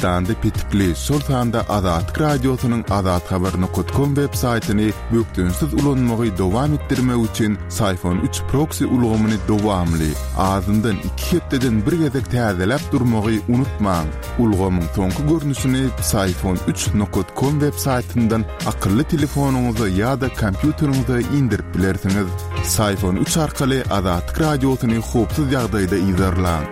Türkmenistanda petikli, şol sanda Azatlyk Radiosynyň azathabar nokat kom web saýtyny bökdençsiz ulanmagy dowam etdirmek üçin Syfon üç proksi ulgamyny dowamly, azyndan iki hepdeden bir gezek täzeläp durmagy unutmaň. Ulgamyň soňky görnüşini Psiphon üç nokat kom web saýtyndan akylly telefonyňyza ýa-da kompýuteriňize indirip bilersiňiz. Psiphon üç arkaly Azatlyk Radiosyny howpsuz ýagdaýda yzarlaň.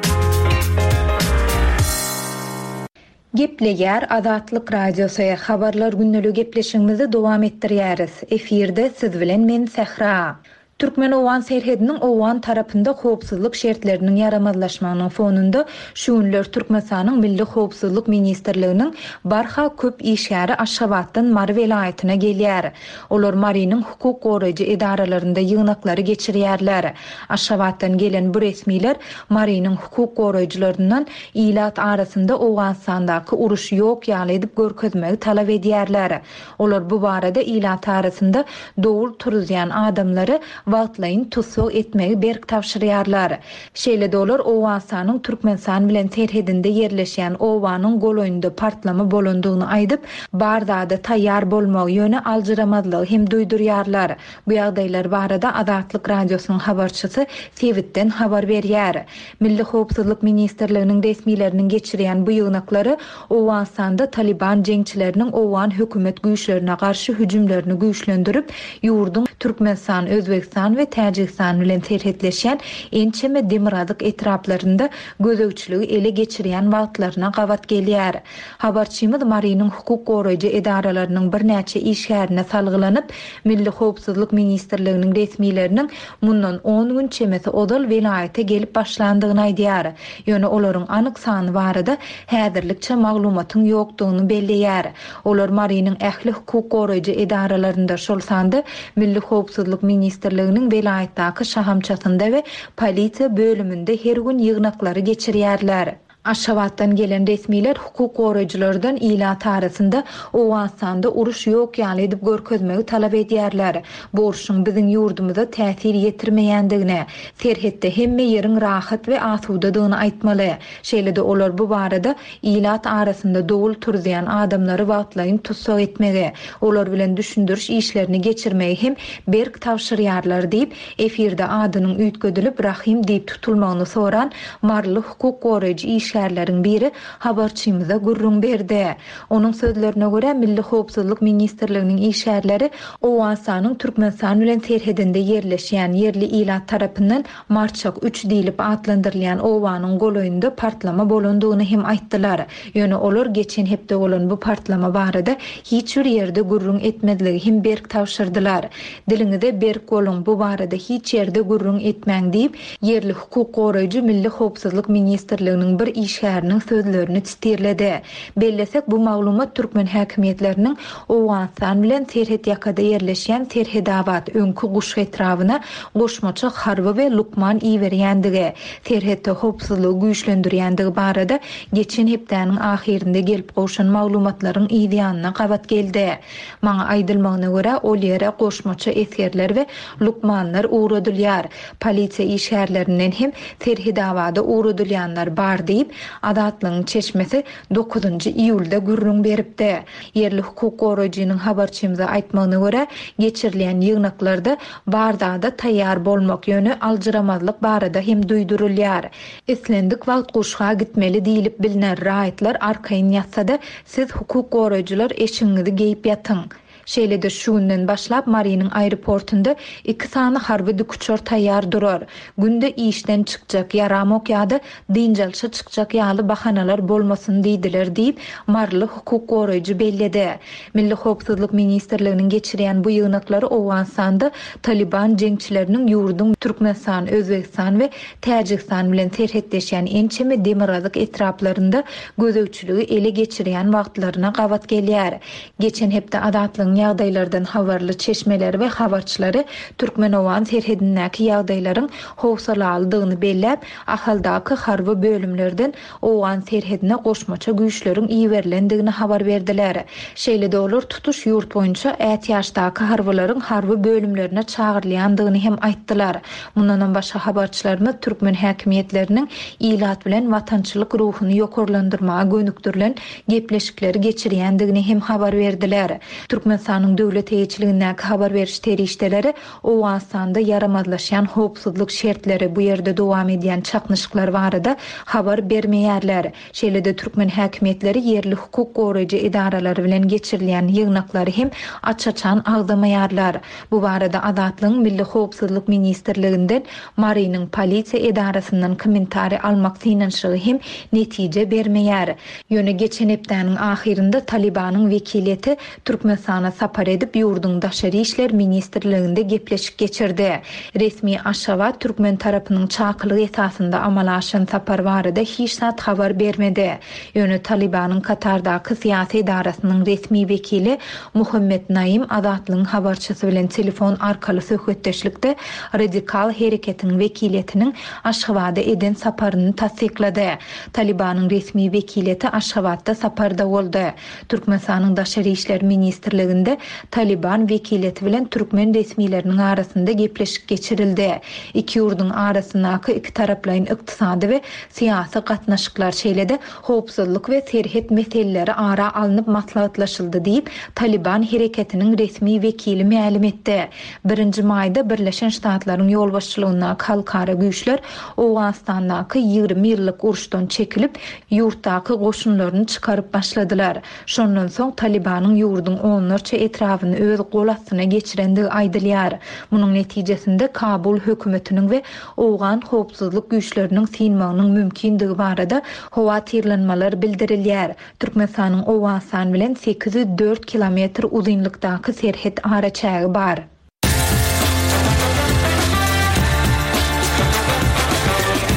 Gepleýär Azatlyk Radiosy, Habarlar gündeligi gepleşigimizi dowam etdirýäris. Efirde siz bilen men Sähra. Türkmen-owgan serhediniň owgan tarapynda howpsuzlyk şertleriniň ýaramazlaşmagynyň fonunda, şu günler Türkmenistanyň Milli howpsuzlyk ministrliginiň barha köp işgäri Aşgabatdan Mary welaýatyna gelýär. Olar Marynyň hukuk goraýjy edaralarynda ýygnaklary geçirýärler. Aşgabatdan gelen bu resmiler Marynyň hukuk goraýjylaryndan ilat arasynda Owganystandaky uruş ýok ýaly edip görkezmegi talap edýärler. Olar bu barada ilat arasynda dowul turuzýan adamlary wagtlaýyn tussag etmegi berk tabşyrýarlar. Şeýle-de olar Owganystanyň Türkmenistan bilen serhedinde ýerleşýän obanyň golaýynda partlama bolandygyny aýdyp, bar zada taýýar bolmagy, ýöne aljyramazlygy hem duýdurýarlar. Bu ýagdaýlar barada Azatlyk Radiosynyň habarçysy sebitden habar berýär. Milli howpsuzlyk ministrliginiň resmileriniň geçirýän bu ýygnaklary Owganystanda Talyban jeňçileriniň owgan hökümet güýçlerine garşy hüjümlerini güýçlendirip, ýurduň Türkmenistan, Özbegistan we Täjigistan bilen serhetleşýän ençeme demirgazyk etraplarynda gözegçiligi ele geçirýän wagtlaryna gabat gelýär. Habarçymyz Marynyň hukuk goraýjy edaralarynyň birnäçe işgärine salgylanyp, Milli howpsuzlyk ministrliginiň resmileriniň mundan on gün çemesi ozal welaýata gelip başlandygyny aýdýar. Ýöne olaryň anyk sany barada häzirlikçe maglumatyň ýokdugyny belleýär. Olar Marynyň ähli hukuk goraýjy edaralarynda, şol sanda Milli howpsuzlyk ministrliginiň welaýatdaky şahamçasynda we polisiýa bölüminde her gün ýygnaklary geçirýärler. Aşgabatdan gelen resmiler hukuk goraýjylardan ilat arasynda Owganystanda uruş ýok ýaly edip görkezmegi talap edýärler. Bu urşuň biziň ýurdumyza täsir ýetirmeýändigini, serhetde hemme ýeriň rahat we asudadygyny aýtmaly. Şeýle-de olar bu barada ilat arasynda dowul turuzýan adamlary wagtlaýyn tussag etmegi, olar bilen düşündiriş işlerini geçirmegi hem berk tabşyrýarlar diýip, efirde adynyň üýtgedilip Rahym diýip tutulmagyny soran maryly hukuk goraýjy işgärleriň biri habarçymyza gürrüň berdi. Onuň sözlerine görä, Milli howpsuzlyk ministrliginiň işgärleri Owganystanyň Türkmenistan bilen serhedinde ýerleşýän, ýerli ilat tarapyndan Marçak üç diýlip atlandyrylýan obanyň golaýynda partlama bolandygyny hem aýtdylar. Ýöne olar geçen hepde bolan bu partlama barada hiç bir ýerde gürrüň etmezligi hem berk tabşyrdylar. Diliňize berk boluň, bu barada hiç ýerde gürrüň etmäň diýip, ýerli hukuk goraýjy Milli howpsuzlyk ministrliginiň bir işgäriniň sözlerini sitirledi. Bellesek, bu maglumat türkmen häkimiýetleriniň Owganystan bilen serhetýakada ýerleşýän Serhedabat, öňki Guşgy etrabyna goşmaça harby we lukman iberýändigi, serhetde howpsuzlygy güýçlendirýändigi barada geçen hepdäniň ahyrynda gelip gowşan maglumatlaryň yzýanyna gabat geldi. Maňa aýdylmagyna görä, ol ýere goşmaça esgerler we lukmanlar ugradylýar. Polisiýa işgärlerinden hem Serhedabada ugradylýanlar bar diýip, Azatlygyň çeşmesi dokuzynjy iýulda gürrüň beripdi. Ýerli hukuk goraýjynyň habarçymyza aýtmagyna görä, geçirilýän ýygnaklarda bar zada taýýar bolmak, ýöne aljyramazlyk barada hem duýdurylýar. Islendik wagt guşga gitmeli diýlip bilner, raýatlar arkaýyn ýatsa-da, siz hukuk goraýjylar eşigiňizi geýip ýatyň. Şeýle-de şu günden başlap Marynyň aeroportunda iki sany harby dikuçar taýýar durar. Günde işden çykjak, ýaramok ýa-da dynç alşa çykjak ýaly bahanalar bolmasyn diýdiler diýip, maryly hukuk goraýjy belledi. Milli howpsuzlyk ministrliginiň geçirýän bu ýygnaklary Owganystanda Talyban jeňçileriniň ýurduň Türkmenistan, Özbegistan we Täjigistan bilen serhetleşýän ençeme demirgazyk etraplarynda gözegçiligi ele geçirýän wagtlaryna gabat gelýär. Geçen hepde Azatlygyň. ýagdaýlardan habarly çeşmeleri we habarçylary türkmen-owgan serhedindäki ýagdaýlaryň howsalalydygyny belläp, Ahaldaky harby bölümlerden owgan serhedine goşmaça güýçleriň iberilendigini habar berdiler. Şeýle-de olar tutuş ýurt boýunça ätiýaçdaky harbylaryň harby bölümlerine çagyrylýandygyny hem aýtdylar. Mundanam başga habarçylarymyz türkmen häkimiýetleriniň ilat bilen watançylyk ruhuny ýokarlandyrmaga gönükdirilen gepleşikleri geçirýändigini hem habar berdiler. Türkmenistanyň döwlet eýeçiligindäki habar beriş serişdeleri Owganystanda ýaramazlaşýan howpsuzlyk şertleri, bu ýerde dowam edýän çaknyşyklar barada habar bermeýärler. Şeýle-de türkmen häkimiýetleri ýerli hukuk goraýjy edaralary bilen geçirilýän ýygnaklary hem aç-açan agzamaýarlar. Bu barada Azatlygyň Milli howpsuzlyk ministrliginden, Marynyň polisiýa edarasyndan kommentariý almak synanyşygy hem netije bermeýär. Ýöne geçen hepdäniň ahyrynda Talybanyň wekiliýeti Türkmenistana sapar edip, ýurduň Daşary işler ministrliginde gepleşik geçirdi. Resmi Aşgabat türkmen tarapynyň çakylygy esasynda amala aşan sapar barada hiç zat habar bermedi. Ýöne Talybanyň Katardaky syýasy edarasynyň resmi wekili Muhammet Naim Azatlygyň habarçysy bilen telefon arkaly söhbetdeşlikde radikal hereketiň wekiliýetiniň Aşgabada eden saparyny tassyklady. Talybanyň resmi wekiliýeti Aşgabatda saparda boldy. Türkmenistanyň Daşary işler ministrliginde Talyban wekiliýeti bilen türkmen resmileriniň arasynda gepleşik geçirildi. Iki ýurduň arasyndaky ikitaraplaýyn ykdysady we syýasy gatnaşyklar, şeýle-de howpsuzlyk we serhet meseleleri ara alnyp maslahatlaşyldy diýip, Talyban hereketiniň resmi wekili mälim etdi. Birinji maýda Birleşen Ştatlaryň ýolbaşçylygyndaky halkara güýçler Owganystandaky 20 ýyllyk uruşdan çekilip, ýurtdaky goşunlaryny çykaryp başladylar. Şondan soň Talybanyň ýurduň onlarça etrabyny öz gol astyna geçirendigi aýdylýar. Munuň netijesinde Kabul hökümetiniň we owgan howpsuzlyk güýçleriniň synmagynyň mümkindigi barada howatyrlanmalar bildirilýär. Türkmenistanyň Owganystan bilen 804 kilometr uzynlykdaky serhet araçägi bar.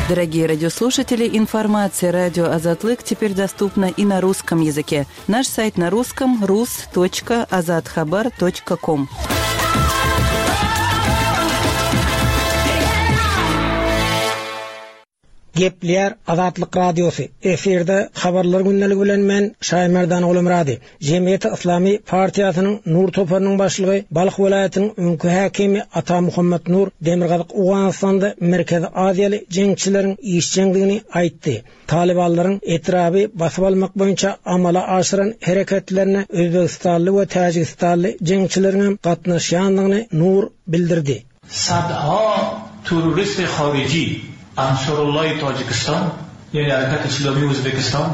Дорогие радиослушатели, информация радио Азатлык теперь доступна и на русском языке. Наш сайт на русском rus.azathabar.com. Gepleýär Azatlyk Radiosy, efirde Habarlar gündeligi bilen men, Şaýmerdan Gulumyrady. Jemgyýeti Yslamy partiýasynyň Nur toparynyň başlygy, Balh welaýatynyň öňki häkimi Ata Muhammet Nur Demirgazyk Owganystanda Merkezi Aziýaly jeňçileriň işjeňdigini aýtdy. Talybanlaryň etraby basyp almak boýunça amala aşyran hereketlerine özbegistanly we täjigistanly jeňçileriňem gatnaşýandygyny Nur bildirdi. Sadha terrorist horiji Ansorullahi Tojikiston, ýa'ni Harakat Islomiy O'zbekiston.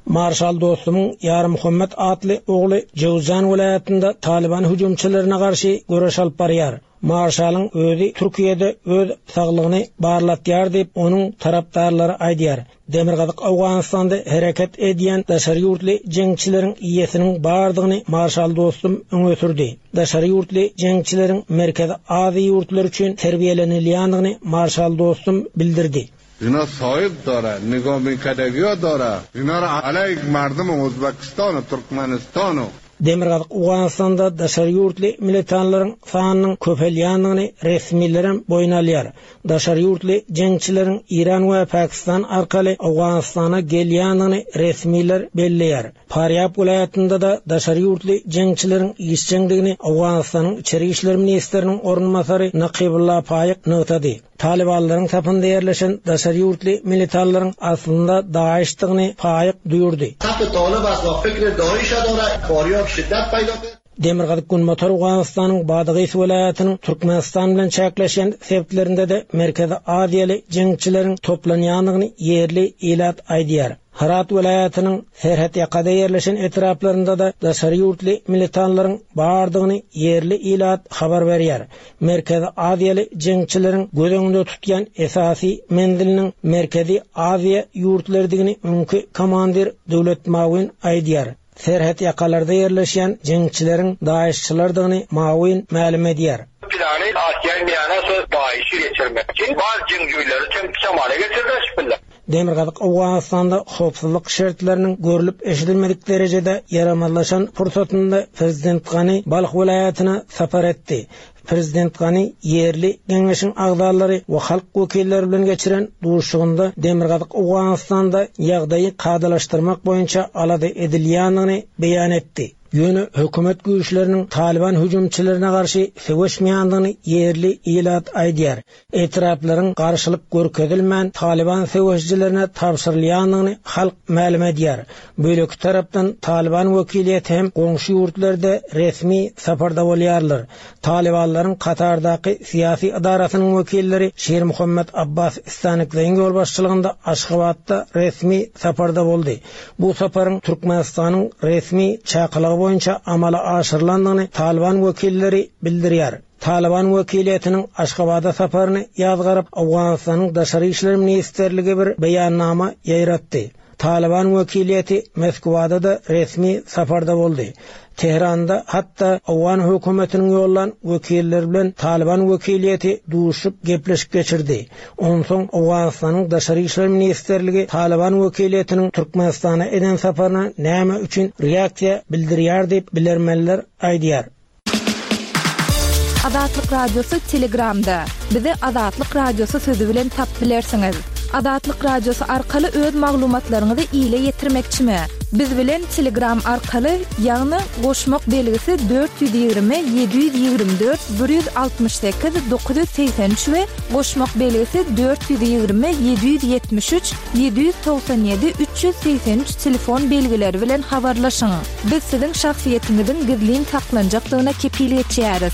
Marşal Dostumyň Ýarmuhammet atly ogly Jöwzjan welaýatynda Talyban hüjümçilerine garşy göreş alyp barýar. Marşalyň özi Türkiýede öz saglygyny barlatýar diýip, onuň tarapdarlary aýdýar. Demirgazyk Owganystanda hereket edýän daşary ýurtly jeňçileriň ýesiniň bardygyny marşal Dostum öňe sürdi. Daşary ýurtly jeňçileriň Merkezi Aziýa ýurtlary üçin terbiýelenilýändigini marşal Dostum bildirdi. Ina soýub dora, nigominkadagio dora, inara aleýk mardum Uzbekistonu, Turkmenistonu. Demirgazyk Owganystanda daşary ýurtly militanlaryň sanynyň köpelýändigini resmilerem boýun alýar. Daşary ýurtly jeňçileriň Eýran we Pakistan arkaly Owganystana gelýändigini resmiler belleýär. Farýab welaýatynda-da daşary ýurtly jeňçileriň işjeňdigini Owganystanyň içeri işler ministriniň orunbasary Nakybulla Faýyk nygtady. Talybanlaryň sapynda ýerleşen daşary ýurtly militanlaryň aslynda DAIŞ-dygyny Faýyk duýurdy. Demirgazyk-günbatar Owganystanyň Badagys welaýatynyň Türkmenistan bilen çäkleşýän sebitlerinde-de Merkezi Aziýaly jeňçileriň toplanýandygyny ýerli ilat aýdýar. Hyrat welaýatynyň serhetýakada ýerleşen etraplarynda-da daşary ýurtly militanlaryň bardygyny ýerli ilat habar berýär. Merkezi Aziýaly jeňçileriň göz öňünde tutýan esasy menziliniň Merkezi Aziýa ýurtlarydygyny öňki komandir Döwlet Mawin aýdýar. Serhetýakalarda ýerleşýän jeňçileriň DAIŞ-çylardygyny Mawin mälim edýär. Plany Asiýa miýana şo DAIŞ-i geçirmek üçin bar jeňjüýleri çem şamala getirdiler şpilla. Demirgazyk Owganystanda howpsuzlyk şertleriniň görlüp-eşidilmedik derejede ýaramazlaşan pursatynda prezident Gani Balh welaýatyna sapar etdi. Prezident Gani ýerli geňeşiň agzalary we halk wekilleri bilen geçiren duşuşygynda Demirgazyk Owganystanda ýagdaýy kadalaşdyrmak boýunça alada edilýändigini beýan etdi. Ýöne hökümet güýçleriniň Talyban hüjümçilerine garşy söweşmeýändigini ýerli ilat aýdýar. Etraplaryň garşylyk görkezilmän Talyban söweşijilerine tabşyrylýandygyny halk mälim edýär. Beýleki tarapdan Talyban wekiliýeti hem goňşy ýurtlarda resmi saparda bolýarlar. Talybanlaryň Katardaky syýasy edarasynyň wekilleri Şirmuhammet Abbas Stanikzeýiň ýolbaşçylygynda Aşgabatda resmi saparda boldy. Bu saparyň Türkmenistanyň resmi çakylygy boýunça amala aşyrylandygyny Talyban wekilleri bildirýär. Talyban wekiliýetiniň Aşgabada saparyny ýazgaryp, Owganystanyň Daşary işler ministrligi bir beýannama ýaýratdy. Talyban wekiliýeti Moskwada-da resmi saparda boldy. Tähranda hatda owgan hökümetiniň ýollan wekilleri bilen Talyban wekiliýeti duşup gepleşik geçirdi. Onsoň Owganystanyň Daşary işler ministrligi Talyban wekiliýetiniň Türkmenistana eden saparyna näme üçin reaksiýa bildirýär diýip bilermenler aýdýar. Azatlyk Radiosy Telegramda. Bizi Azatlyk Radiosy sözi bilen tap bilersiňiz. Azatlyk Radiosy arkaly öz maglumatlaryňyzy ile ýetirmekçimi? Biz bilen Telegram arkaly, ýagny goşmak belgisi 420 724 168 983 we goşmak belgisi 420 773 797 383 telefon belgileri bilen habarlaşyň. Biz siziň şahsyýetiňiziň gizlin saklanjakdygyna kepil geçýäris.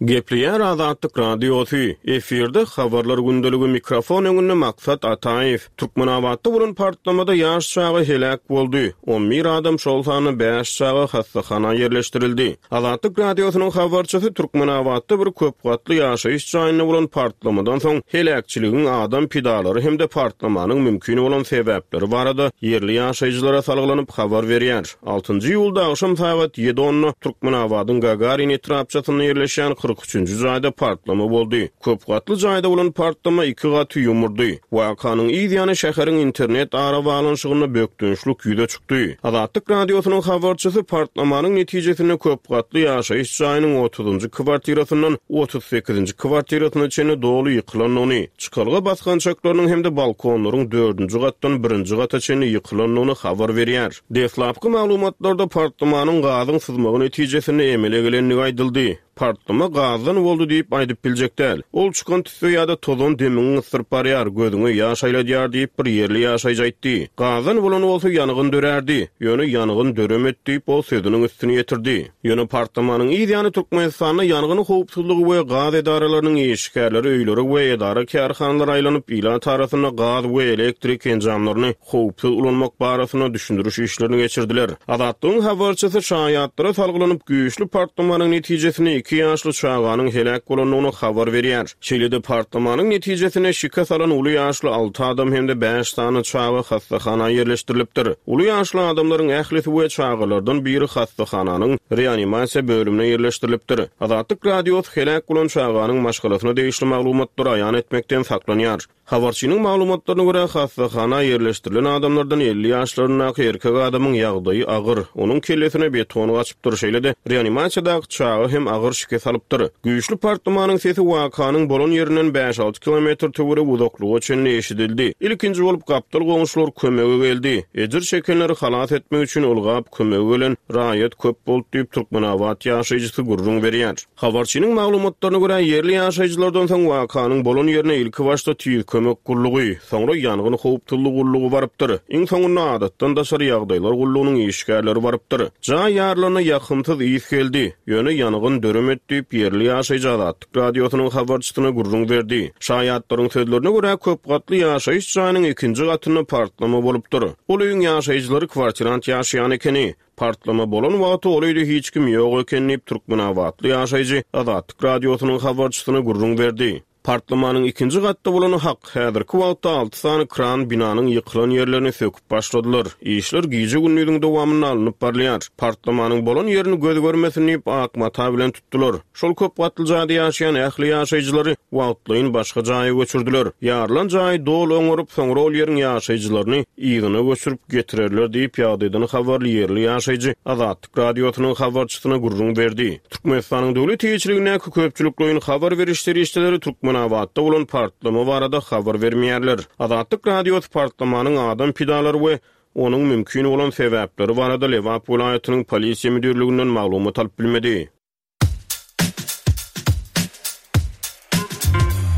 Gepleýär Azatlyk Radiosy, efirde Habarlar gündeligi mikrofon öňünde Maksat Ataýew. Türkmenabatda bolan partlamada ýaş çaga heläk boldy, on bir adam, şol sanda bäş çaga hassahana ýerleşdirildi. Azatlyk Radiosynyň habarçysy Türkmenabatda bir köp gatly ýaşaýyş jaýynda bolan partlamadan soň heläkçiligiň adam pidalary hem-de partlamanyň mümkin bolan sebäpleri barada ýerli ýaşaýjylara salgylanyp habar berýär. Altynjy iýulda agşam sagat ýedi onda Türkmenabadyň Gagarin etrapçasynda ýerleşýän 43-nji jaýda partlama boldy. Köp gatly jaýda bolan partlama iki gaty ýumurdy. Wakanyň yz ýany şäheriň internet arabaglanyşygynda bökdençlik ýüze çykdy. Azatlyk Radiosynyň habarçysy partlamanyň netijesinde köp gatly ýaşaýyş jaýynyň otuzynjy kwartirasyndan 38-nji kwartirasyna çenli doly ýykylandygyny, çykalga basgançaklarynyň hem-de balkonlaryň dördünji gatdan birinji gata çenli ýykylandygyny habar berýär. Deslapky maglumatlarda partlamanyň gazyň syzmagy netijesinde emele gelendigi aýdyldy. Partlama gazdan boldy diýip aýdyp biljek däl. Ol çykan tüsse ýa-da tozan demiňi gysdyryp barýar, gözüňe ýaş aýladýar diýip, bir ýerli ýaşaýjy aýtdy. Gazdan bolan bolsa ýangyn dörärdi. Ýöne ýangyn döremedi diýip, ol sözüniň üstüni ýetirdi. Ýöne partlamanyň yz ýany Türkmenistanda ýangyn howpsuzlygy we gaz edaralarynyň işgärleri öýlere we edara-kärhanalara aýlanyp, ilat arasynda gaz we elektrik enjamlaryny howpsuz ulanmak barasynda düşündiriş işlerini geçirdiler. Azatlygyň habarçysy şaýatlara salgylanyp, güýçli partlamanyň netijesinde iki ýaşly çaganyň heläk bolandygyny habar berýär. Şeýle-de partlamanyň netijesinde şikes alan uly ýaşly alty adam hem-de bäş sany çaga hassahana ýerleşdirilipdir. Uly ýaşly adamlaryň ählisi we çagalardan biri hassahananyň reanimasiýa bölümine ýerleşdirilipdir. Azatlyk Radiosy heläk bolan çaganyň maşgalasyna degişli maglumatlary aýan etmekden saklanýar. Habarçynyň maglumatlaryna görä, hassahana ýerleşdirilen adamlardan 50 ýaşlaryndaky erkek adamyň ýagdaýy agyr, onuň kellesine beton gaçypdyr, şeýle-de reanimasiýadaky çaga hem agyr şikes alypdyr. Güýçli partlamanyň sesi wakanyň bolan ýerinden bäş-alty kilometr töweregi uzaklyga çenli eşidildi. Ilkinji bolup gapdal goňşular kömege geldi. Ejir çekenleri halas etmek üçin ylgap kömege gelen raýat köp boldy diýip, türkmenabat ýaşaýjysy gürrüň berýär. Habarçynyň maglumatlaryna görä, ýerli ýaşaýjylardan soň wakanyň bolan ýerine ilkibaşda Tiz kömek gullugy, soňra ýangyn howpsuzlygy gullugy barypdyr. Iň soňunda Adatdan daşary ýagdaýlar gullugynyň işgärleri barypdyr. Jaý ýarylanda ýakymsyz ys geldi, ýöne ýangyn döremedi diýip, ýerli ýaşaýjy Azatlyk Radiosynyň habarçysyna gürrüň berdi. Şaýatlaryň sözlerine görä, köp gatly ýaşaýyş jaýynyň ikinji gatynda partlama bolupdyr. Ol öýüň ýaşaýjylary kwartirant ýaşaýan ekeni. Partlama bolan wagty ol öýde hiç kim ýok eken diýip, türkmenabatly ýaşaýjy Azatlyk Radiosynyň habarçysyna gürrüň berdi. Partlamanyň ikinji gatda bolany hak. Häzirki wagtda alty sany kran binanyň ýykylan ýerlerini söküp başladylar. Işler gije-gündiziň dowamynda alnyp barylýar. Partlamanyň bolan ýerini göz görmesin diýip, ak mata bilen tutdular. Şol köp gatly jaýda ýaşaýan ähli ýaşaýjylary wagtlaýyn başga jaýa göçürdiler. Ýarylan jaýy doly oňaryp, soňra ol ýeriň ýaşaýjylaryny yzyna göçürip getirerler diýip, ýagdaýdan habarly ýerli ýaşaýjy Azatlyk Radiosynyň habarçysyna gürrüň berdi. Türkmenistanyň döwlet eýeçiligindäki köpçülikleýin habar beriş serişdeleri Türkmenabatda bolan partlama barada habar bermeýärler. Azatlyk Radiosy partlamanyň adam pidalary we onuň mümkin bolan sebäpleri barada Lebap welaýatynyň Polisiýa müdirliginden maglumat alyp bilmedi.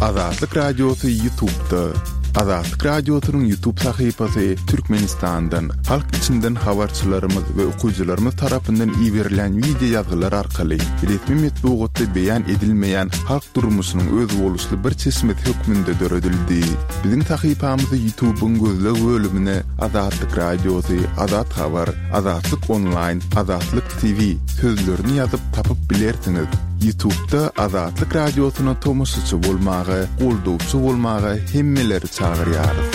Azatlyk Radiosy Ýutubda. Azatlyk Radiosynyň Ýutub sahypasy Türkmenistandan, halk içinden habarçylarymyz we okyjylarymyz tarapyndan iberilen wideo ýazgylar arkaly resmi metbugatda beýan edilmeýän halk durmuşynyň özboluşly bir çeşmesi hökmünde döredildi. Biziň sahypamyzy Ýutubyň gözleg bölümine Azatlyk Radiosy, Azat Habar, Azatlyk Onlaýn, Azatlyk TV sözlerini ýazyp tapyp bilersiňiz. Ýutubda Azatlyk Radiosyna tomaşaçy bolmaga, goldawçy bolmaga hemmeleri çagyrýarys.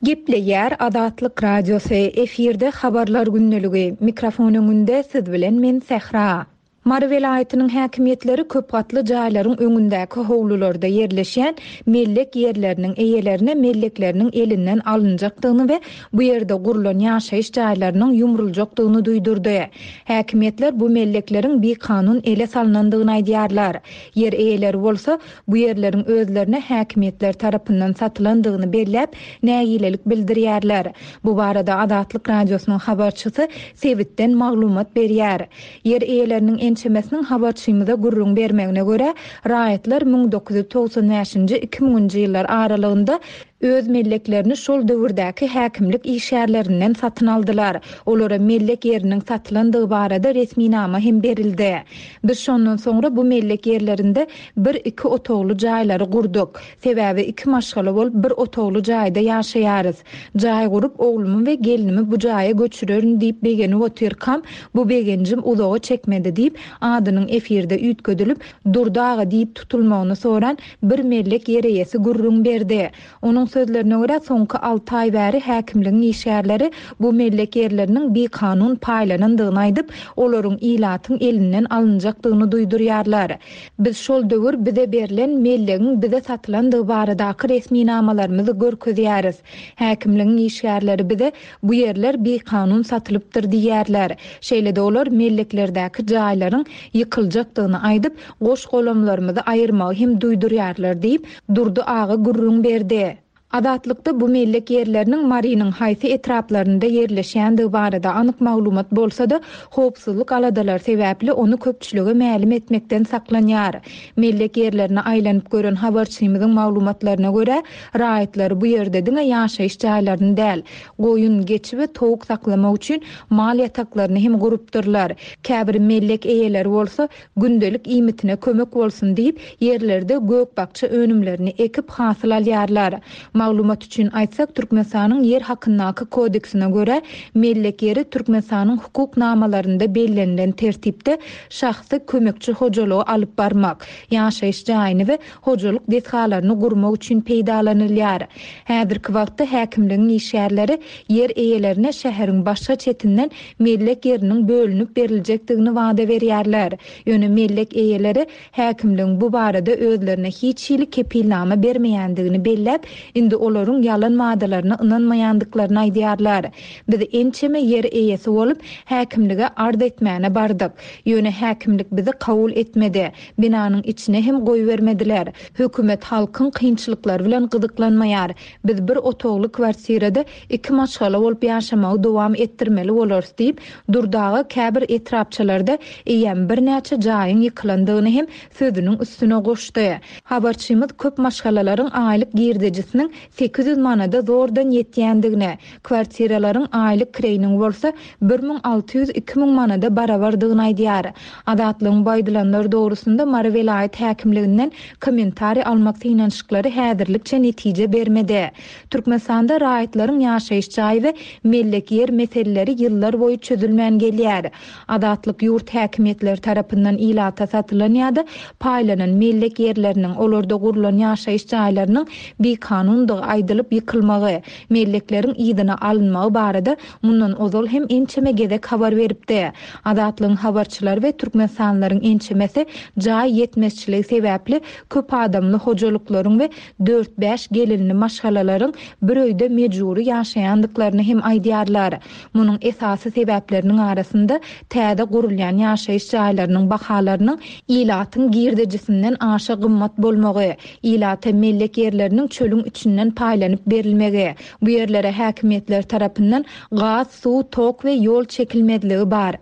Gepleýär Azatlyk Radiosy, efirde Habarlar gündeligi, mikrofon öňünde siz bilen men Sähra. Mary welaýatynyň häkimiýetleri köp gatly jaýlaryň öňündäki howlularda ýerleşýän mellek ýerleriniň eýelerine mellekleriniň elinden alynjakdygyny we bu ýerde gurlan ýaşaýyş jaýlarynyň ýumruljakdygyny duýdurdy. Häkimiýetler bu mellekleriň bikanun ele salnandygyny aýdýarlar. Ýer eýeleri bolsa, bu ýerleriň özlerine häkimiýetler tarapyndan satylandygyny belläp, nägilelik bildirýärler. Bu barada Azatlyk Radiosynyň habarçysy sebitden maglumat berýär. Ýer eýeleriniň ençemesiniň habarçymyza gürrüň bermegine görä, raýatlar 1995-nji, 2000-nji ýyllar aralygynda öz melleklerini şol döwürdäki häkimlik işgärlerinden satyn aldylar. Olara mellek ýeriniň satylandygy barada resminama hem berildi. Biz şondan soňra bu mellek ýerlerinde bir-iki otagly jaýlary gurduk. Sebäbi iki maşgala bolup bir otagly jaýda ýaşaýarys. Jaý gurup, oglumy we gelnimi bu jaýa göçürerin diýip begenip otyrkam, bu begenjim uzaga çekmedi diýip, adynyň efirde üýtgedilip, Durdy aga diýip tutulmagyny soran bir mellek ýer eýesi gürrüň berdi. Onuň sözlerine görä, soňky alty aý bäri häkimligiň işgärleri bu mellek ýerleriniň bikanun paýlanandygyny aýdyp, olaryň ilatyň elinden alynjakdygyny duýdurýarlar. Biz şol döwür bize berlen mellegiň bize satylandygy baradaky resminamalarymyzy görkezýäris. Häkimligiň işgärleri bize bu ýerler bikanun satylypdyr diýýärler. Şeýle-de olar melleklerdäki jaýlaryň ýykyljakdygyny aýdyp, goş-golamlarymyzy aýyrmagy hem duýdurýarlar diýip, Durdy aga gürrüň berdi. Azatlykda bu mellek ýerleriniň Marynyň haýsy etraplarynda ýerleşýändigi barada anyk maglumat bolsa-da, howpsuzlyk aladalary sebäpli ony köpçülige mälim etmekden saklanýar. Mellek ýerlerine aýlanyp gören habarçymyzyň maglumatlaryna görä, raýatlar bu ýerde diňe ýaşaýyş jaýlaryny däl, goýun, geçi we towuk saklamak üçin mal ýataklaryny hem gurupdyrlar. Käbir mellek eýeleri bolsa Gündelik iýmitine kömek bolsun diýip, ýerlerde gök-bakja önümlerini ekip, hasyl alýarlar. Maglumat üçin aýtsak, Türkmenistanyň Ýer hakyndaky kodeksine görä, mellek ýeri Türkmenistanyň hukuk namalarynda bellenilen tertipde şahsy kömekçi hojalygy alyp barmak, ýaşaýyş jaýyny we hojalyk desgalaryny gurmak üçin peýdalanylýar. Häzirki wagtda häkimligiň işgärleri ýer eýelerine şäheriň başga çetinden mellek ýeriniň bölünip beriljekdigini wada berýärler. Ýöne mellek eýeleri häkimligiň bu barada özlerine hiç hili kepilnama bermeýändigini belläp, indi olaryň ýalan wadalaryna ynanmaýandyklaryny aýdýarlar. Biz ençeme ýer eýesi bolup, häkimlige arz etmäne bardyk. Ýöne häkimlik bizi kabul etmedi. Binanyň içine hem goýbermediler. Hökümet halkyň kynçylyklary bilen gyzyklanmaýar. Biz bir otagly kwartirada iki maşgala bolup ýaşamagy dowam etdirmeli bolarys diýip, Durdy aga käbir etrapçalarda eýýäm birnäçe jaýyň ýykylandygyny hem sözüniň üstüne goşdy. Habarçymyz köp maşgalalaryň aýlyk girdejisiniň. 800 manada zordan ýetýändigini, kwartiralaryň aýlyk kireýiniň bolsa 1600, 2000 manada barabardygyny aýdýar. Azatlygyň bu aýdylanlar dogrusynda Mary welaýat häkimliginden kommentariý almak synanyşyklary häzirlikçe netije bermedi. Türkmenistanda raýatlaryň ýaşaýyş jaý we mellek ýer meseleleri ýyllar boýy çözülmän gelýär. Azatlyk ýurt häkimiýetleri tarapyndan ilata satylan ýa-da paýlanan mellek ýerleriniň, olarda gurlan ýaşaýyş jaýlarynyň bikanundygy aýdylyp ýykylmagy, mellekleriň yzyna alynmagy barada mundan ozal hem ençeme gezek habar beripdi. Azatlygyň habarçylary we türkmenistanlylaryň ençemesi jaý ýetmezçiligi sebäpli köp adamly hojalyklaryň we dört-bäş gelinli maşgalalaryň bir öýde mejbury ýaşaýandyklaryny hem aýdýarlar. Munuň esasy sebäpleriniň arasynda täze gurulýan ýaşaýyş jaýlarynyň bahalarynyň ilatyň girdejisinden aşa gymmat bolmagy, ilata mellek ýerleriniň çölüň içinden paýlanyp berilmegi, bu ýerlere häkimiýetler tarapyndan gaz, suw, tok we ýol çekilmezligi bar.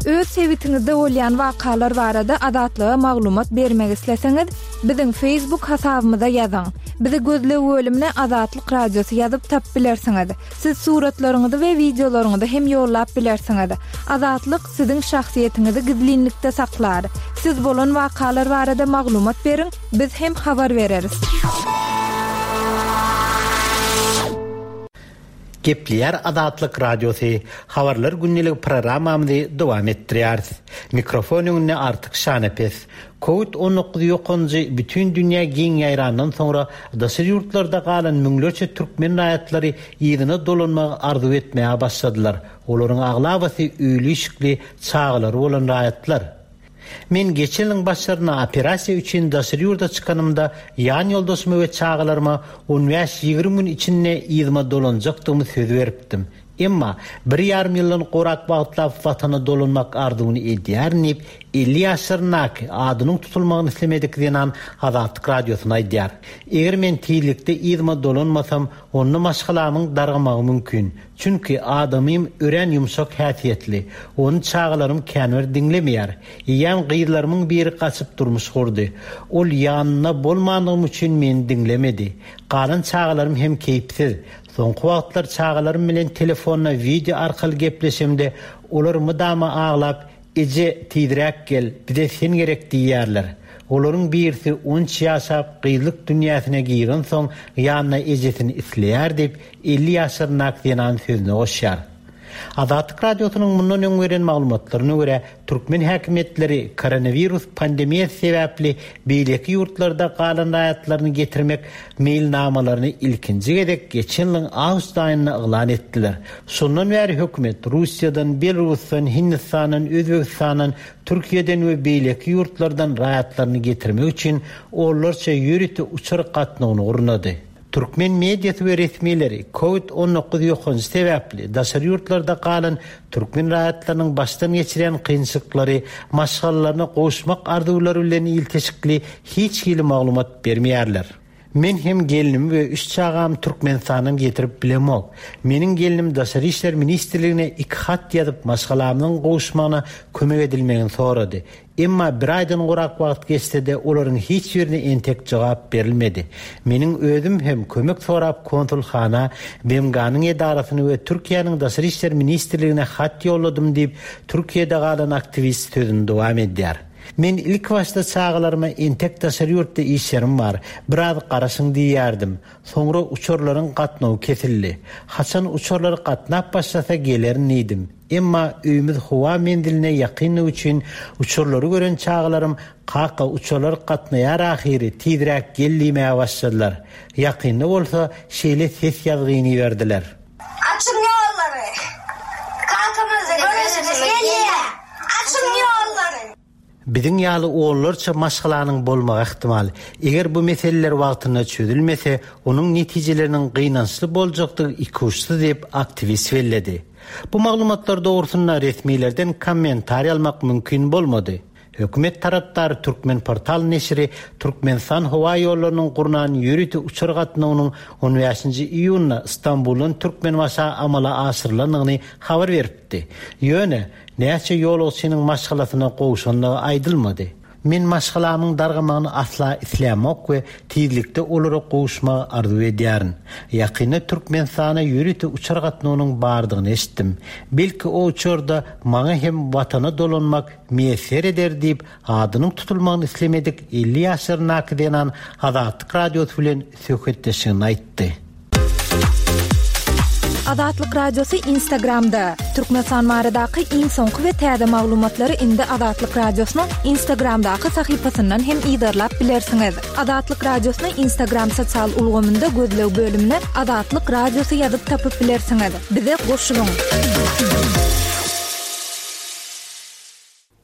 Öz sebitiňizde bolýan wakalar barada Azatlyga maglumat bermek isleseňiz, biziň Facebook hasabymyza ýazyň. Bizi gözleg bölümine Azatlyk Radiosy ýazyp tapyp bilersiňiz. Siz suratlaryňyzy we wideolaryňyzy hem ýollap bilersiňiz. Azatlyk siziň şahsyýetiňizi gizlinlikde saklar. Siz bolan wakalar barada maglumat beriň, biz hem habar bereris. Gepleýär Azatlyk Radiosy, Habarlar gündelik programmamyzy dowam etdirýäris. Mikrofon öňünde Artyk Şanepes. Kowid 19 ýokanjy bütin dünýä giň ýaýrandan soňra daşary ýurtlarda galan müňlerçe türkmen raýatlary yzyna dolanmagy arzuw etmäge başladylar. Olaryň aglabasy öýli-işikli, çagalary bolan raýatlar. Men geçen ýylyň başlarynda operasiýa üçin daşary ýurda çykanymda ýan ýoldaşyma we çagalaryma on bäş-ýigrimi gün içinde yzyma dolanjakdygymy söz beripdim. Emma bir ýarym ýyldan gowrak wagtlap Watana dolanmak arzuwyny edýärin diýip, 50 ýaşlaryndaky, adynyň tutulmagyny islemedik zenan Azatlyk Radiosyna aýdýar. Eger men tizlikde yzyma dolanmasam, onda maşgalamyň dargamagy mümkin. Çünki adamym örän ýumşak häsiýetli. Ony çagalarym känbir diňlemeýär. Eýýäm gyzlarymyň biri gaçyp durmuş gurdy. Ol ýanynda bolmanlygym üçin meni diňlemedi. Galan çagalarym hem keýpsiz. Soňky wagtlar çagalarym bilen telefonda wideo arkaly gepleşemde, olar mydama aglap, Eje, tizräk gel, bize sen gerek diýýärler. Olaryň birisi on üç ýaşap, gyzlyk dünýäsine girensoň, ýanyna ejesini isleýär diýip, 50 ýaşlaryndaky zenan sözüne goşýar. Azatlyk Radiosynyň mundan öň beren maglumatlaryna görä, türkmen häkimiýetleri koronawirus pandemiýasy sebäpli beýleki ýurtlarda galan raýatlaryny getirmek meýilnamalaryny ilkinji gezek geçen ýylyň awgust aýynda yglan etdiler. Şondan bäri hökümet Russiýadan, Belarusdan, Hindistandan, Özbegistandan, Türkiýeden we beýleki ýurtlardan raýatlaryny getirmek üçin onlarça ýörite uçar gatnawyny gurnady. Türkmen mediasy we resmileri Covid 19 ýokanjy sebäpli daşary ýurtlarda galan türkmen raýatlarynyň başdan geçirýän kynçylyklary, maşgalalaryna gowuşmak arzuwlary bilen ilteşikli hiç hili maglumat bermeýärler. Men hem gelnimi we üç çagamy Türkmenistandan getirip bilemok. Meniň gelnim Daşary işler ministrligine iki hat ýazyp maşgalamyzyň gowuşmagyna kömek edilmegini sorady. Emma bir aýdan gowrak wagt geçse-de, olaryň hiç birine entek jogap berilmedi. Meniň özüm hem kömek sorap konsulhana, BMG-niň edarasyna we Türkiýäniň Daşary işler ministrligine hat ýolladym diýip, Türkiýede galan aktiwist sözüni dowam edýär. Men ilkibaşda çagalaryma entek daşary ýurtda işlerim bar, biraz garaşyň diýýärdim. Soňra uçarlaryň gatnawy kesildi. Haçan uçarlar gatnap başlasa gelerin diýdim. Emma öýümiz howa menziline ýakyndygy üçin uçarlary gören çagalarym Kaka, uçarlar gatnaýar ahyry, tizräk gel diýmäge başladylar. Ýakynda bolsa şeýle ses ýazgyny iberdiler. Açyň ýollary! Kakamyzy göresimiz gelýär! Açyň ýollary! Biziň ýaly onlarça maşgalanyň bolmagy ähtimal. Eger bu meseleler wagtynda çözülmese, onuň netijeleriniň gynançly boljakdygy ikuçsyz diýip, aktiwist belledi. Bu maglumatlar dogrusynda resmilerden kommentariý almak mümkin bolmady. Hökümet tarapdary Türkmenportal neşiri Türkmenistan howa ýollarynyň gurnan ýörite uçar gatnawynyň on bäşinji iýunda Stambuldan Türkmenbaşa amala aşyrylandygyny habar beripdi. Ýöne, näçe ýolagçynyň maşgalasyna gowşandygy aýdylmady. Men maşgalamyň dargamagyny asla islämok we tizlikde olara gowuşmagy arzuw edýärin. Ýakynda Türkmenistana ýörite uçar gatnawynyň bardygyny eşitdim. Belki o uçarda maňa hem Watana dolanmak miýesser eder diýip, adynyň tutulmagyny islemedik 50 ýaşlaryndaky zenan Azatlyk Radiosy bilen söhbetdeşliginde aýtdy. Azatlyk Radiosy Instagramda, Türkmenistan baradaky iň soňky we täze maglumatlary indi Azatlyk Radiosynyň Instagramdaky sahypasyndan hem yzarlap bilersiňiz. Azatlyk Radiosyny Instagram sosial ulgamynda gözleg bölümine Azatlyk Radiosy ýazyp tapyp bilersiňiz. Bize goşulyň!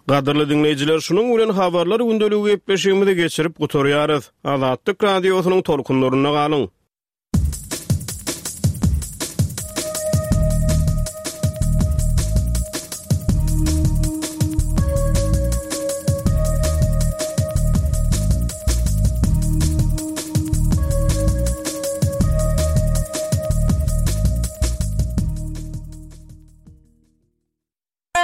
Gadyrly diňleýjiler, şunuň bilen Habarlar gündeligi gepleşigimizi geçirip gutarýarys. Azatlyk Radiosynyň tolkunlarynda galyň!